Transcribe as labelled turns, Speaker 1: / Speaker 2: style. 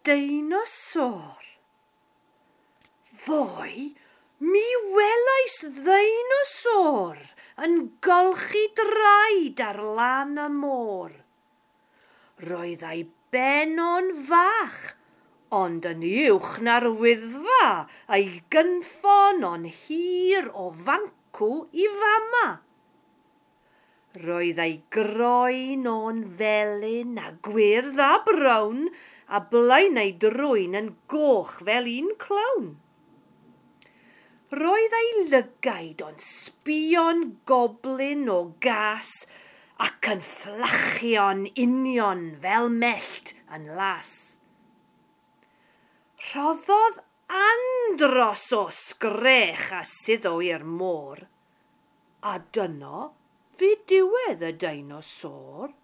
Speaker 1: deinosor. Ddoe, mi welais ddeinosor yn golchi draed ar lan y môr. Roedd ei ben o'n fach, ond yn uwch na'r Wyddfa, a'i gynffon o'n hir o fancw i fama. Roedd ei groen o'n felyn a gwyrdd a brown, a blaen ei drwyn yn goch fel un clown. Roedd ei lygaid o'n sbio'n goblyn o gas ac yn fflachio'n union fel mellt yn las. Rhoddodd andros o sgrech a suddo i'r môr, a dyno fu diwedd y deinosor.